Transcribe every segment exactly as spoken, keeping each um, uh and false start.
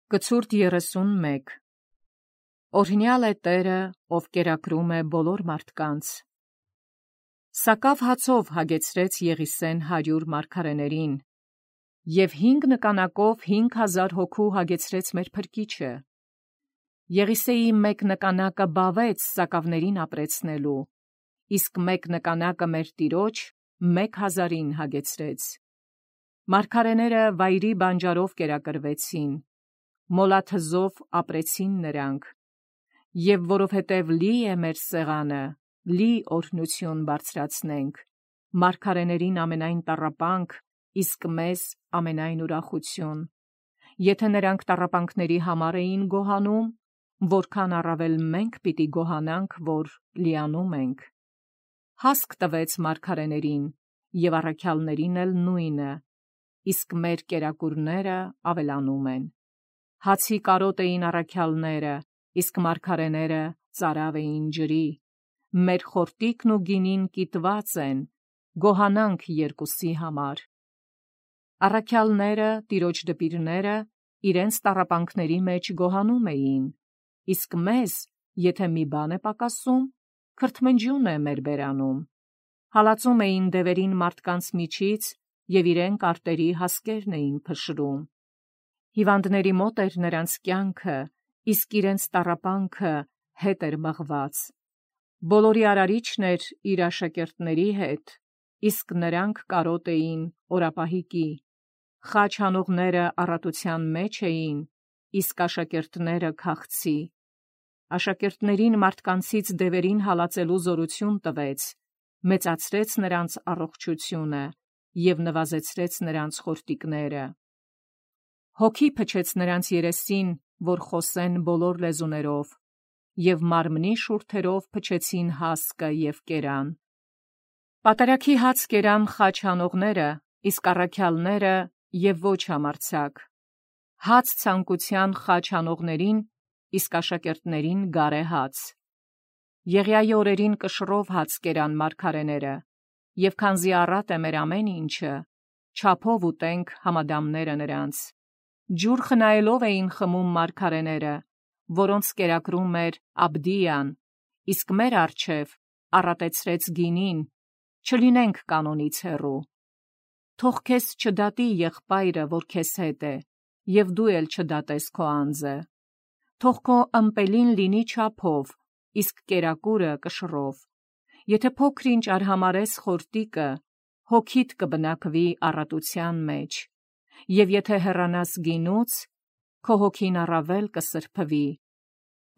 Կցուրդ երեսունմեկ Օրհնյալ է Տերը, ով կերակրում է բոլոր մարդկանց։ Սակավ հացով հագեցրեց Եղիսեն հարյուր մարգարեներին, և հինգ նկանակով հինգ հազար հոգու հագեցրեց մեր Փրկիչը։ Եղիսեի մեկ նկանակը բավեց սակավներին ապրեցնելու, իսկ մեկ նկանակը մեր Տիրոջ մեկ հազարին հագեցրեց։ Մարգարեները վայրի բանջարով կերակրվեցին, մոլաթզով ապրեցին նրանք, և որովհետև լի է մեր սեղանը, լի օրհնություն բարձրացնենք, մարգարեներին ամենայն տառապանք, իսկ մեզ ամենայն ուրախություն։ Եթե նրանք տառապանքների համար էին գոհանում, որքան առավել մենք պիտի գոհանանք, որ լիանում ենք։ Հասկ տվեց մարգարեներին, և առաքյալներին էլ նույնը, իսկ մեր կերակուրները ավելանում են։ Հացի կարոտ էին առաքյալները, իսկ մարգարեները ծարավ էին ջրի։ Մեր խորտիկն ու գինին կիտված են, գոհանանք երկուսի համար։ Առաքյալները, Տիրոջ դպիրները, իրենց տառապանքների մեջ գոհանում էին, իսկ մեզ, եթե մի բան է պակասում, քրթմնջյուն է մեր բերանում։ Հալածում էին դևերին մարդկանց միջից և իրենք արտերի հասկերն էին փշրում։ Հիվանդների մոտ էր նրանց կյանքը, իսկ իրենց տառապանքը հետ էր մղված։ Բոլորի արարիչն էր իր աշակերտների հետ, իսկ նրանք կարոտ էին օրապահիկի։ Խաչ հանողները առատության մեջ էին, իսկ աշակերտները քաղցի։ Աշակերտներին մարդկանցից դևերին հալածելու զորություն տվեց, մեծացրեց նրանց առողջությունը և նվազեցրեց նրանց խորտիկները։ Հոգի փչեց նրանց երեսին, որ խոսեն բոլոր լեզուներով, և մարմնի շուրթերով փչեցին հասկը և կերան։ Պատարագի հաց կերան խաչ հանողները, իսկ առաքյալները և ոչ համարձակ։ Հաց ցանկության խաչ հանողներին, իսկ աշակերտներին գարե հաց։ Եղիայի օրերին կշռով հաց կերան մարգարեները, և քանզի առատ է մեր ամեն ինչը, չափով ուտենք համադամները նրանց։ Ջուր խնայելով էին խմում մարգարեները, որոնց կերակրում էր Աբդիան, իսկ մեր առջև առատեցրեց գինին, չլինենք կանոնից հեռու։ Թող քեզ չդատի եղբայրը, որ քեզ հետ է, և դու էլ չդատես քո անձը։ Թող քո ըմպելին լինի չափով, իսկ կերակուրը կշռով։ Եթե փոքր-ինչ արհամարես խորտիկը, հոգիդ կբնակվի առատության մեջ, և եթե հեռանաս գինուց, քո հոգին առավել կսրբվի։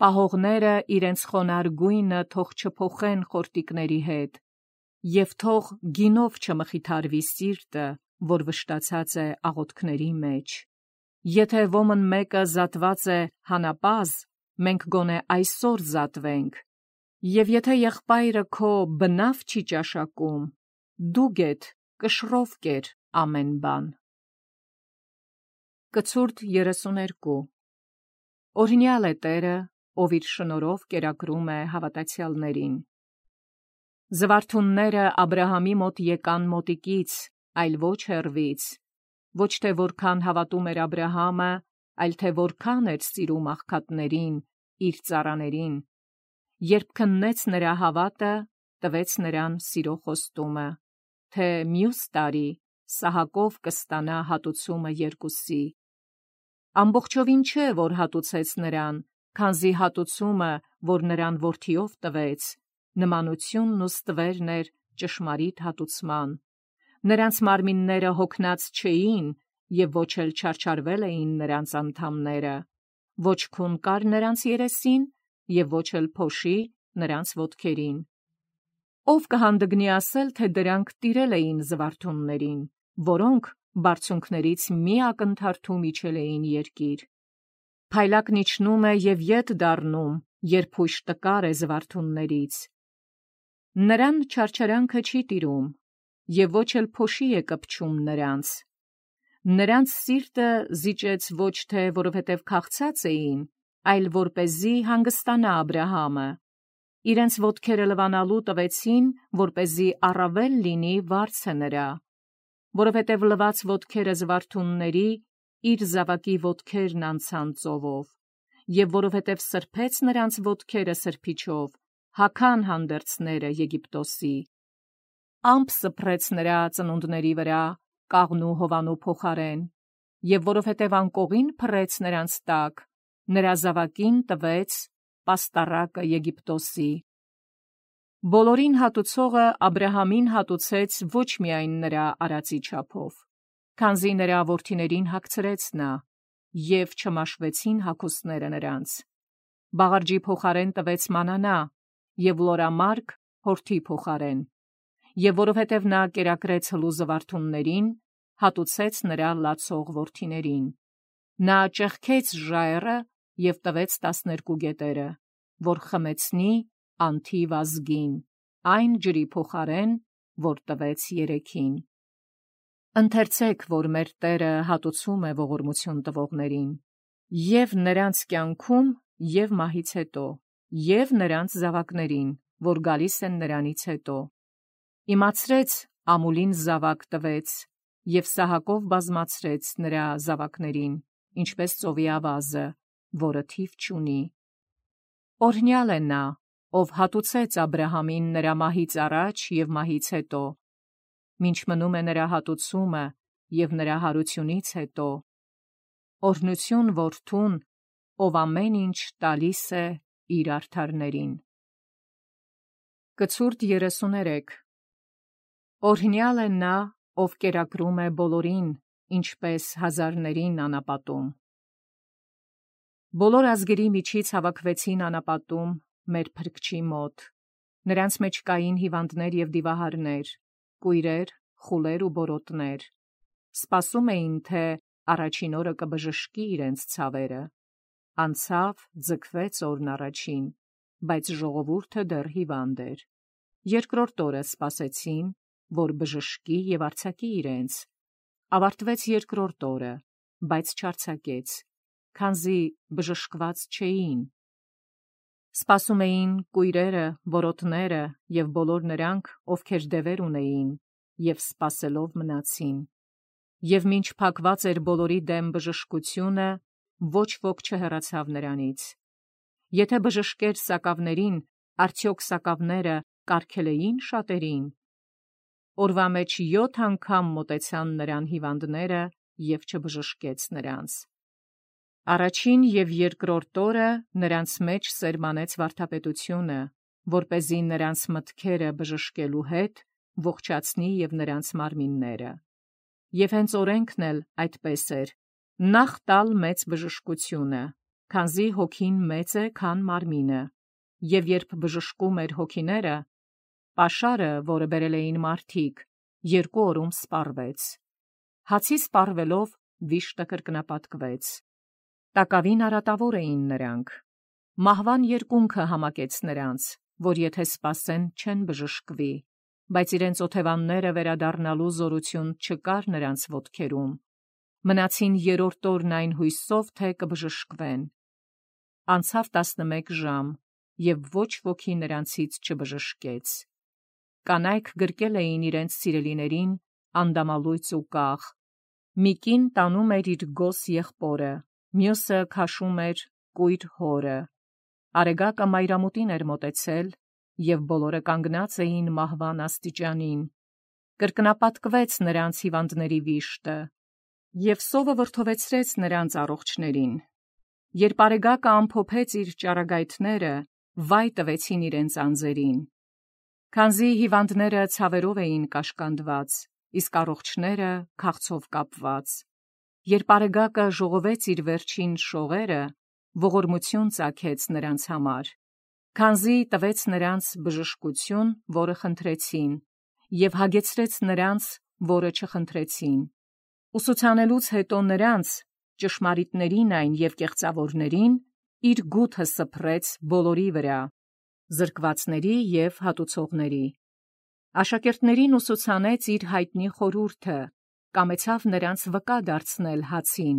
Պահողները իրենց խոնարհ գույնը թող չփոխեն խորտիկների հետ, և թող գինով չմխիթարվի սիրտը, որ վշտացած է աղոթքների մեջ։ Եթե ոմն մեկը զատված է հանապազը, մենք գոնե այսօր զատվենք, և եթե եղբայրը քո բնավ չի ճաշակում, դու գեթ կշռով կեր ամեն բան։ Կցուրդ երեսուներկու Օրհնյալ է Տերը, ով իր շնորհով կերակրում է հավատացյալներին։ Զվարթունները Աբրահամի մոտ եկան մոտիկից, այլ ոչ հեռվից, ոչ թե որքան հավատում էր Աբրահամը, այլ թե որքան էր սիրում աղքատներին, իր ծառաներին։ Երբ քննեց նրա հավատը, տվեց նրան սիրո խոստումը, թե մյուս տարի Սահակով կստանա հատուցումը երկուսի։ Ամբողջովին չէ, որ հատուցեց նրան, քանզի հատուցումը, որ նրան որդիով տվեց, նմանությունն ու ստվերն էր ճշմարիտ հատուցման։ Նրանց մարմինները հոգնած չէին, և ոչ էլ չարչարվել էին նրանց անդամները, ոչ քուն կար նրանց երեսին, և ոչ էլ փոշի նրանց ոտքերին։ Ո՞վ կհանդգնի ասել, թե դրանք տիրել էին զվարթուններին, որոնք բարձունքներից մի ակնթարթու իջել էին երկիր։ Փայլակն իջնում է և ետ դառնում, երբ հույժ տկար է զվարթուններից։ Նրան չարչարանքը չի տիրում, և ոչ էլ փոշի է կպչում նրանց։ Նրանց սիրտը զիջեց ոչ թե որովհետև քաղցած էին, այլ որպեսզի հանգստանա Աբրահամը։ Իրենց ոտքերը լվանալու տվեցին, որպեսզի առավել լինի վարձը նրա, որովհետև լված ոտքերը զվարթունների իր զավակի ոտքերն անցան ծովով, և որովհետև սրբեց նրանց ոտքերը սրբիչով, հագան հանդերձները Եգիպտոսի։ Ամպ սփռեց նրա ծնունդների վրա կաղնու հովանու փոխարեն, և որովհետև անկողին փռեց նրանց տակ, նրա զավակին տվեց պաստառակը Եգիպտոսի։ Բոլորին հատուցողը Աբրահամին հատուցեց ոչ միայն նրա արածի չափով, քանզի նրա որդիներին հագցրեց նա, և չմաշվեցին հագուստները նրանց։ Բաղարջի փոխարեն տվեց մանանա, և լորամարգ հորթի փոխարեն, և որովհետև նա կերակրեց հլու զվարթուններին, հատուցեց նրա լացող որդիներին։ Նա ճեղքեց ժայռը և տվեց տասներկու գետերը, որ խմեցնի անթիվ ազգին, այն ջրի փոխարեն, որ տվեց երեքին։ Ընթերցեք, որ մեր Տերը հատուցում է ողորմություն տվողներին, և նրանց կյանքում, և մահից հետո, և նրանց զավակներին, որ գալիս են նրանից հետո։ Իմացրեց ամուլին զավակ տվեց, և Սահակով բազմացրեց նրա զավակներին, ինչպես ծովի ավազը, որը թիվ չունի։ Օրհնյալ է նա, ով հատուցեց Աբրահամին նրա մահից առաջ և մահից հետո, մինչ մնում է նրա հատուցումը և նրա հարությունից հետո։ Օրհնություն որդուն, ով ամեն ինչ տալիս է իր արդարներին։ Կցուրդ երեսուներեք Օրհնյալ է նա, ով կերակրում է բոլորին, ինչպես հազարներին անապատում։ Բոլոր ազգերի միջից հավաքվեցին անապատում մեր Փրկչի մոտ. նրանց մեջ կային հիվանդներ և դիվահարներ, կույրեր, խուլեր ու բորոտներ։ Սպասում էին, թե առաջին օրը կբժշկի իրենց ցավերը։ Անցավ, ձգվեց օրն առաջին, բայց ժողովուրդը դեռ հիվանդ էր։ Երկրորդ օրը սպասեցին, որ բժշկի և արձակի իրենց։ Ավարտվեց երկրորդ օրը, բայց չարձակեց, քանզի բժշկված չէին։ Սպասում էին կույրերը, բորոտները և բոլոր նրանք, ովքեր դևեր ունեին, և սպասելով մնացին։ Եվ մինչ փակված էր բոլորի դեմ բժշկությունը, ոչ ոք չհեռացավ նրանից։ Եթե բժշկեր սակավներին, արդյոք սակավները կարգել էին շատերին։ Օրվա մեջ յոթ անգամ մոտեցան նրան հիվանդները, և չբժշկեց նրանց։ Առաջին և երկրորդ օրը նրանց մեջ սերմանեց վարդապետությունը, որպեսզի նրանց մտքերը բժշկելու հետ ողջացնի և նրանց մարմինները։ Եվ հենց օրենքն էլ այդպես էր. նախ տալ մեծ բժշկությունը, քանզի հոգին մեծ է, քան մարմինը, և երբ բժշկում էր հոգիները, պաշարը, որը բերել էին մարդիկ, երկու օրում սպառվեց։ Հացի սպառվելով վիշտը կրկնապատկվեց։ Տակավին արատավոր էին նրանք։ Մահվան երկունքը համակեց նրանց, որ եթե սպասեն, չեն բժշկվի, բայց իրենց օթևանները վերադառնալու զորություն չկար նրանց ոտքերում։ Մնացին երրորդ օրն այն հույսով, թե կբժշկվեն։ Անցավ տասնմեկ ժամ, և ոչ ոքի նրանցից չբժշկեց։ Կանայք գրկել էին իրենց սիրելիներին անդամալույծ ու կաղ։ Մի կին տանում էր իր գոս եղբորը, մյուսը քաշում էր կույր հորը։ Արեգակը մայրամուտին էր մոտեցել, և բոլորը կանգնած էին մահվան աստիճանին։ Կրկնապատկվեց նրանց հիվանդների վիշտը, և սովը վրդովեցրեց նրանց առողջներին։ Երբ արեգակը ամփոփեց իր ճառագայթները, վայ տվեցին իրենց անձերին։ Քանզի հիվանդները ցավերով էին կաշկանդված, իսկ առողջները քաղցով կապված։ Երբ արեգակը ժողովեց իր վերջին շողերը, ողորմություն ծագեց նրանց համար, քանզի տվեց նրանց բժշկություն, որը խնդրեցին, և հագեցրեց նրանց, որը չխնդրեցին։ Ուսուցանելուց հետո նրանց, ճշմարիտներին այն և կեղծավորներին, իր գութը սփռեց բոլորի վրա, զրկվածների և հատուցողների։ Աշակերտներին ուսուցանեց իր հայտնի խորհուրդը, կամեցավ նրանց վկա դարձնել հացին,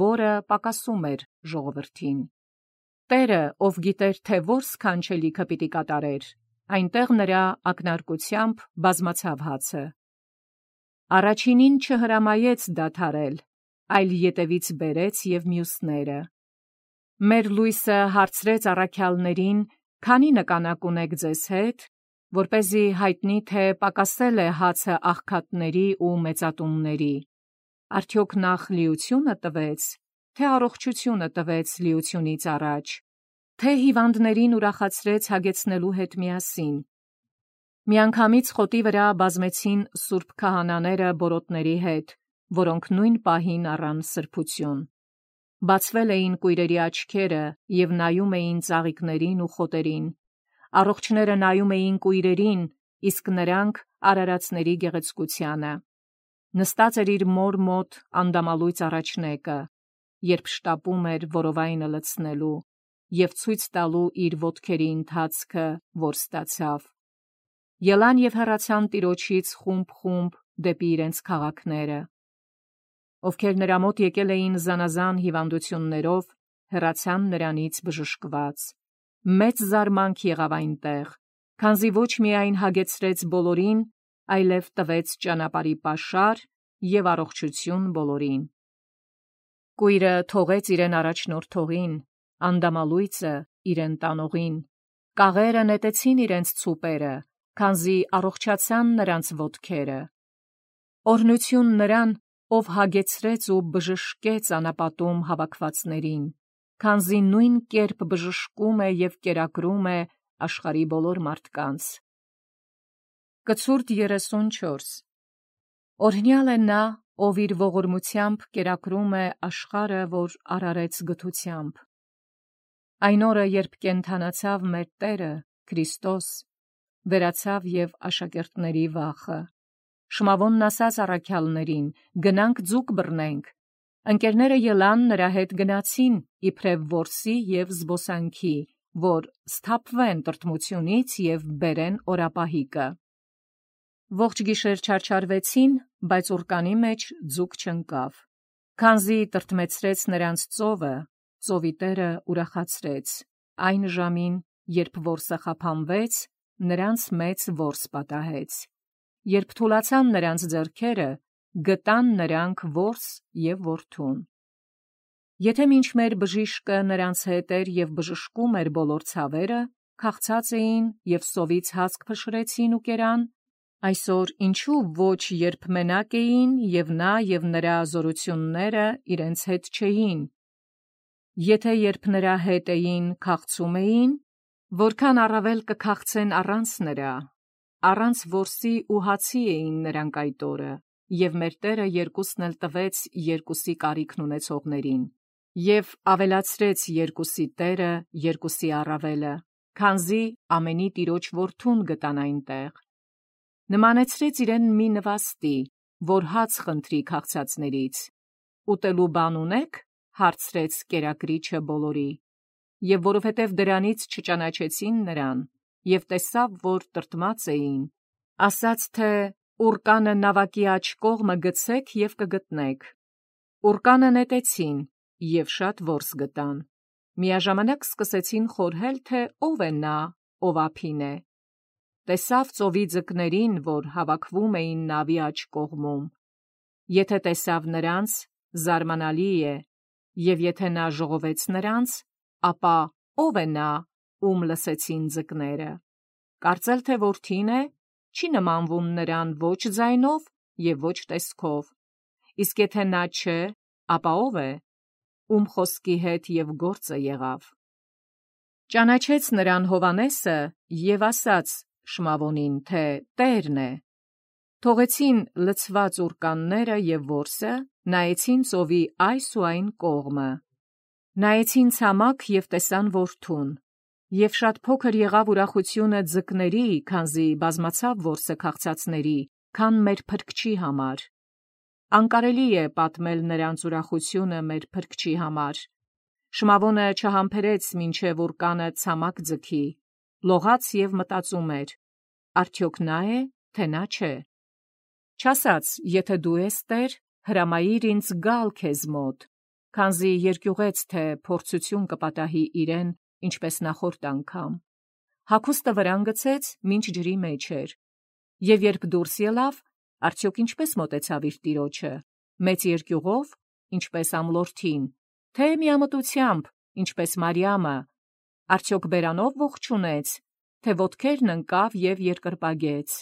որը պակասում էր ժողովրդին։ Տերը, ով գիտեր, թե որ սքանչելիքը պիտի կատարեր, այնտեղ նրա ակնարկությամբ բազմացավ հացը։ Առաջինին չհրամայեց դադարել, այլ ետևից բերեց և մյուսները։ Մեր լույսը հարցրեց առաքյալներին, քանի նկանակ ունեք ձեզ հետ, որպեսզի հայտնի թե պակասել է հացը աղքատների ու մեծատունների։ Արդյոք նախ լիությունը տվեց, թե առողջությունը տվեց լիությունից առաջ, թե հիվանդներին ուրախացրեց հագեցնելու հետ միասին։ Միանգամից խոտի վրա բազմեցին սուրբ քահանաները բորոտների հետ, որոնք նույն պահին առան սրբություն։ Բացվել էին կույրերի աչքերը և նայում էին ծաղիկներին ու խոտերին։ Առողջները նայում էին կույրերին, իսկ նրանք արարածների գեղեցկությանը։ Նստած էր իր մոր մոտ անդամալույծ առաջնեկը, երբ շտապում էր որովայնը լցնելու և ցույց տալու իր ոտքերի ընթացքը, որ ստացավ։ Ելան և հեռացան տիրոջից խումբ-խումբ դեպի իրենց քաղաքները։ Ովքեր նրա մոտ եկել էին զանազան հիվանդություններով, հեռացան նրանից բժշկված։ Մեծ զարմանք եղավ այնտեղ, քանզի ոչ միայն հագեցրեց բոլորին, այլև տվեց ճանապարհի պաշար և առողջություն բոլորին։ Կույրը թողեց իրեն առաջնորդողին, անդամալույծը իրեն տանողին, կաղերը նետեցին իրենց ցուպերը, քանզի առողջացան նրանց ոտքերը։ Օրհնություն նրան, ով հագեցրեց ու բժշկեց անապատում հավաքվածներին, քանզի նույն կերպ բժշկում է և կերակրում է աշխարհի բոլոր մարդկանց։ Կցուրդ երեսունչորս Օրհնյալ է նա, ով իր ողորմությամբ կերակրում է աշխարհը, որ արարեց գթությամբ։ Այն օրը, երբ կենդանացավ մեր Տերը Քրիստոս, վերացավ և աշակերտների վախը։ Շմավոնն ասաց առաքյալներին. «Գնանք ձուկ բռնենք»։ Ընկերները ելան նրա հետ գնացին, իբրև որսի և զբոսանքի, որ սթափվեն տրտմությունից և բերեն օրապահիկը։ Ողջ գիշեր չարչարվեցին, բայց ուռկանի մեջ ձուկ չընկավ։ Քանզի տրտմեցրեց նրանց ծովը, ծովի տերը ուրախացրեց։ Այն ժամին, երբ որսը խափանվեց, նրանց մեծ որս պատահեց։ Երբ թուլացան նրանց ձեռքերը, գտան նրանք որս և որդուն։ Եթե մինչմեր բժիշկը նրանց հետ էր և բժշկում էր բոլոր ցավերը, քաղցած էին և սովից հացք փշրեցին ու կերան, այսօր ինչու ոչ, երբ մենակ էին, և նա և նրա զորությունները իրենց հետ չէին։ Եթե երբ նրա հետ էին, քաղցում էին, որքան առավել կքաղցեն առանց նրա։ Առանց որսի ու հացի էին նրանք այդ օրը, և մեր Տերը երկուսն էլ տվեց երկուսի կարիքն ունեցողներին, և ավելացրեց երկուսի Տերը երկուսի առավելը, քանզի ամենի Տիրոջ որդուն գտան այնտեղ։ Նմանեցրեց իրեն մի նվաստի, որ հաց խնդրի քաղցածներից։ Ուտելու բան ունե՞ք, հարցրեց կերակրիչը բոլորի։ Եվ որովհետև դրանից չճանաչեցին նրան, և տեսավ, որ տրտմած էին, ասաց, թե ուռկանը նավակի աջ կողմը գցեք և կգտնեք։ Ուռկանը նետեցին և շատ որս գտան։ Միաժամանակ սկսեցին խորհել, թե ով է նա, ով ափին է։ Տեսավ ծովի ձկներին, որ հավաքվում էին նավի աջ կողմում։ Եթե տեսավ նրանց, զարմանալի է, և եթե նա ժողովեց նրանց, ապա ո՞վ է նա, ում լսեցին ձկները։ Կարծել, թե որդին է, չի նմանվում նրան ոչ ձայնով և ոչ տեսքով։ Իսկ եթե նա չէ, ապա ո՞վ է, ում խոսքի հետ և գործը եղավ։ Ճանաչեց նրան Հովհաննեսը և ասաց Շմավոնին, թե Տերն է։ Թողեցին լցված ուռկանները և որսը, նայեցին ծովի այս ու այն կողմը։ Նայեցին ցամաք և տեսան որդուն։ Եվ շատ փոքր եղավ ուրախությունը ձկների, քանզի բազմացավ որսը քաղցածների, քան մեր Փրկչի համար։ Անկարելի է պատմել նրանց ուրախությունը մեր Փրկչի համար։ Շմավոնը չհամբերեց մինչև ուռկանը ցամաք ձգի, լողաց և մտածում էր. արդյոք նա է, թե նա չէ։ Չասաց. եթե դու ես Տեր, հրամայիր ինձ գալ քեզ մոտ, քանզի երկյուղեց, թե փորձություն կպատահի իրեն, ինչպես նախորդ անգամ։ Հագուստը վրան գցեց, մինչ ջրի մեջ էր։ Եվ երբ դուրս ելավ, արդյոք ինչպես մոտեցավ իր տիրոջը, մեծ երկյուղով, ինչպես ամլորդին, թե միամտությամբ, ինչպես Մարիամը, արդյոք բերանով ողջունեց, թե ոտքերն ընկավ և երկրպագեց։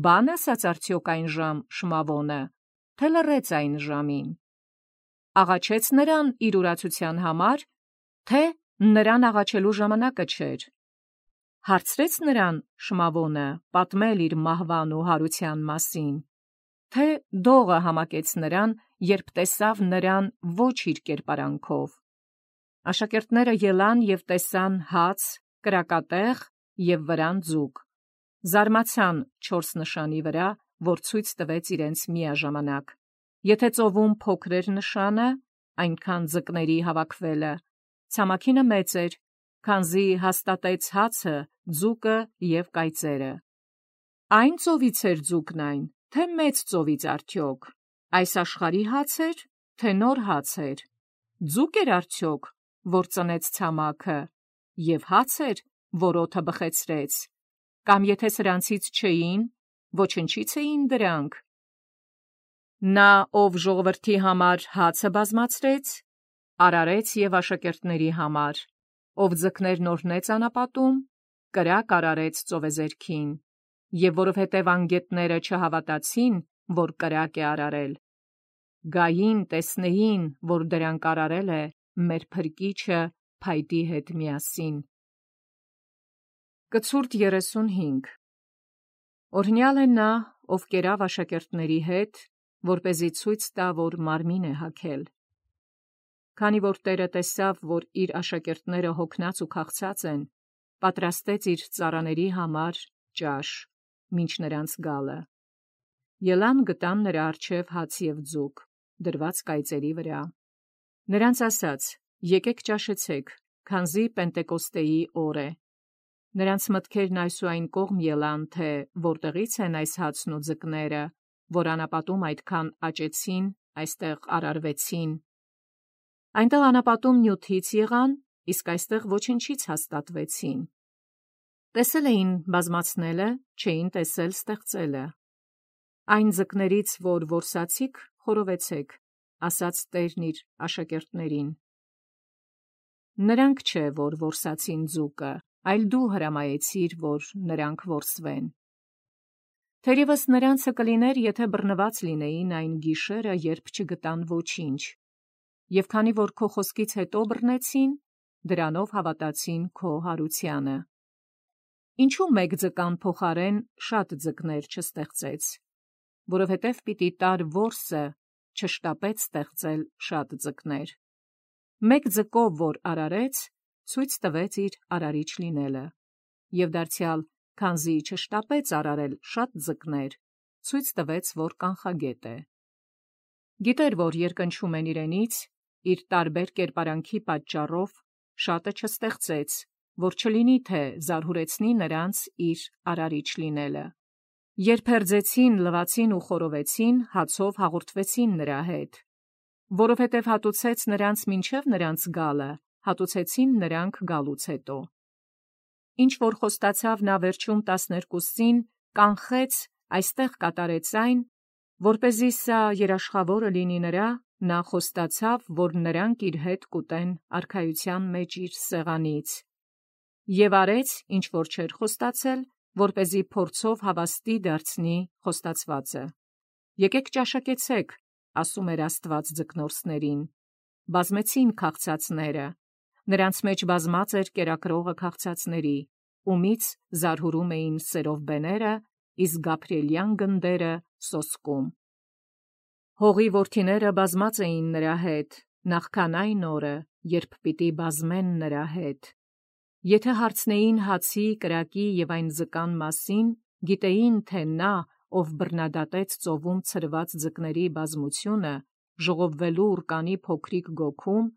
Բան ասաց արդյոք այն ժամ Շմավոնը, թե լռեց այն ժամին։ Աղաչեց նրան իր ուրացության համար, թե նրան աղաչելու ժամանակը չէր։ Հարցրեց նրան Շմավոնը պատմել իր մահվան ու հարության մասին, թե դողը համակեց նրան, երբ տեսավ նրան ոչ իր կերպարանքով։ Աշակերտները ելան և տեսան հաց, կրակատեղ և վրան ձուկ, զարմացան չորս նշանի վրա, որ ցույց տվեց իրենց միաժամանակ։ Եթե ծովում փոքր էր նշանը, այնքան ձկների հավաքվելը, ցամաքինը մեծ էր, քանզի հաստատեց հացը, ձուկը և կայծերը։ Այն ծովից էր ձուկն այն, թե մեծ ծովից արդյոք, այս աշխարհի հաց էր, թե նոր հաց էր, ձուկ էր արդյոք, որ ծնեց ցամաքը, և հաց էր, որ օդը բխեցրեց, կամ եթե սրանցից չէին, ոչնչից էին դրանք։ Նա, ով ժողովրդի համար հացը բազմացրեց, արարեց և աշակերտների համար, ով ձկներն օրհնեց անապատում, կրակ արարեց ծովեզերքին, և որովհետև անգետները չհավատացին, որ կրակ է արարել, գային, տեսնեին, որ դրանք արարել է մեր Փրկիչը փայտի հետ միասին։ Կցուրդ երեսունհինգ Օրհնյալ է նա, ով կերավ աշակերտների հետ, որպեսզի ցույց տա, որ մարմին է հագել։ Քանի որ Տերը տեսավ, որ իր աշակերտները հոգնած ու քաղցած են, պատրաստեց իր ծառաների համար ճաշ, մինչ նրանց գալը։ Ելան գտան նրա առջև հաց և ձուկ, դրված կայծերի վրա։ Նրանց ասաց. եկեք ճաշեցեք, քանզի Պենտեկոստեի օր է։ Նրանց մտքերն այս ու այն կողմ ելան, թե որտեղից են այս հացն ու ձկները, որ անապատում այդքան աճեցին, այստեղ արարվեցին։ Այնտեղ անապատում նյութից եղան, իսկ այստեղ ոչնչից հաստատվեցին։ Տեսել էին բազմացնելը, չէին տեսել ստեղծելը։ Այն ձկներից, որ որսացիք, խորովեցեք, ասաց Տերն իր աշակերտներին։ Նրանք չէ, որ որսացին ձուկը, այլ դու հրամայեցիր, որ նրանք որսվեն։ Թերևս նրանցը կլիներ, եթե բռնված լինեին այն գիշերը, երբ չգտան ոչինչ, և քանի որ քո խոսքից հետո բռնեցին, դրանով հավատացին քո հարությանը։ Ինչու մեկ ձկան փոխարեն շատ ձկներ չստեղծեց, որովհետև պիտի տար որսը չշտապեց ստեղծել շատ ձկներ։ Մեկ ձկով, որ արարեց, ցույց տվեց իր արարիչ լինելը, և դարձյալ, քանզի չշտապեց արարել շատ ձկներ, ցույց տվեց, որ կանխագետ է։ Գիտեր, որ երկնչում են իրենից, իր տարբեր կերպարանքի պատճառով շատը չստեղծեց, որ չլինի, թե զարհուրեցնի նրանց իր արարիչ լինելը։ Երբ հերձեցին, լվացին ու խորովեցին, հացով հաղորդվեցին նրա հետ, որովհետև հատուցեց նրանց մինչև նրանց գալը, հատուցեցին նրանք գալուց հետո։ Ինչ որ խոստացավ նա վերջում տասներկուսին, կանխեց, այստեղ կատարեց այն, որպեսզի սա երաշխավորը լինի նրա, նա խոստացավ, որ նրանք իր հետ կուտեն արքայության մեջ իր սեղանից, և արեց, ինչ որ չէր խոստացել, որպեսզի փորձով հավաստի դարձնի խոստացվածը։ Եկեք ճաշակեցեք, ասում էր Աստված ձկնորսներին։ Բազմեցին քաղցածները, նրանց մեջ բազմած էր կերակրողը քաղցածների, ումից զարհուրում էին սերով բեները, իսկ Գաբրիելյան գնդերը սոսկում։ Հողի որդիները բազմած էին նրա հետ, նախքան այն օրը, երբ պիտի բազմեն նրա հետ։ Եթե հարցնեին հացի, կրակի և այն ձկան մասին, գիտեին, թե նա, ով բռնադատեց ծովում ցրված ձկների բազմությունը, ժողովվելու ուռկանի փոքրիկ գոգում,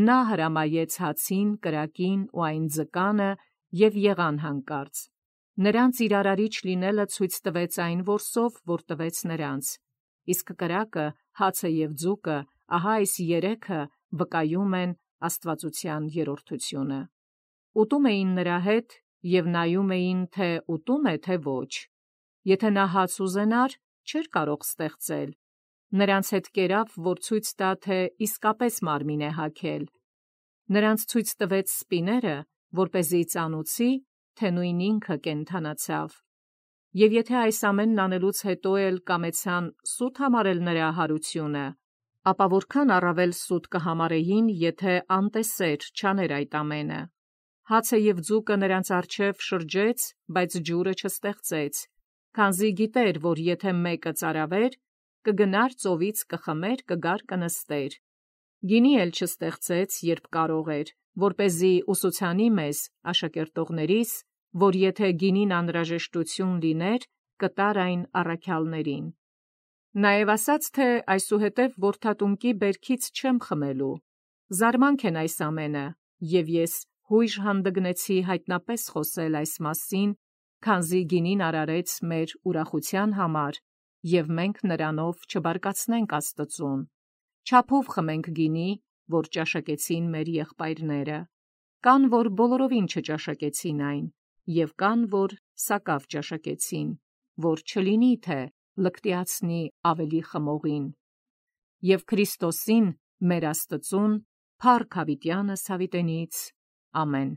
նա հրամայեց հացին, կրակին ու այն ձկանը և եղան հանկարծ։ Նրանց իր արարիչ լինելը ցույց տվեց այն որսով, որ տվեց նրանց, իսկ կրակը, հացը և ձուկը, ահա այս երեքը վկայում են աստվածության երրորդությունը։ Ուտում էին նրա հետ և նայում էին, թե ուտում է, թե ոչ։ Եթե նա հաց ուզենար, չէր կարող ստեղծել, Նրանց հետ կերավ, որ ցույց տա, թե իսկապես մարմին է հագել։ Նրանց ցույց տվեց սպիները, որպեսզի ծանուցի, թե նույն ինքը կենդանացավ։ Եվ եթե այս ամենն անելուց հետո էլ կամեցան սուտ համարել նրա հարությունը, ապա որքան առավել սուտ կհամարեին, եթե անտեսեր չաներ այդ ամենը։ Հացը և ձուկը նրանց առջև շրջեց, բայց ջուրը չստեղծեց, քանզի գիտեր, որ եթե մեկը ծարավեր, կգնար ծովից կխմեր, կգար կնստեր։ Գինի էլ չստեղծեց, երբ կարող էր, որպեսզի ուսուցանի մեզ, աշակերտողներիս, որ եթե գինին անհրաժեշտություն լիներ, կտար այն առաքյալներին։ Նաև ասաց, թե այսուհետև որդատունկի բերքից չեմ խմելու։ Զարմանք են այս ամենը, և ես հույժ հանդգնեցի հայտնապես խոսել այս մասին, քանզի գինին արարեց մեր ուրախության համար, և մենք նրանով չբարկացնենք Աստծուն։ Չափով խմենք գինի, որ ճաշակեցին մեր եղբայրները։ Կան, որ բոլորովին չճաշակեցին այն, և կան, որ սակավ ճաշակեցին, որ չլինի, թե լկտիացնի ավելի խմողին։ Եվ Քրիստոսին, մեր Աստծուն, փառք հավիտյանս հավիտենից։ Ամեն։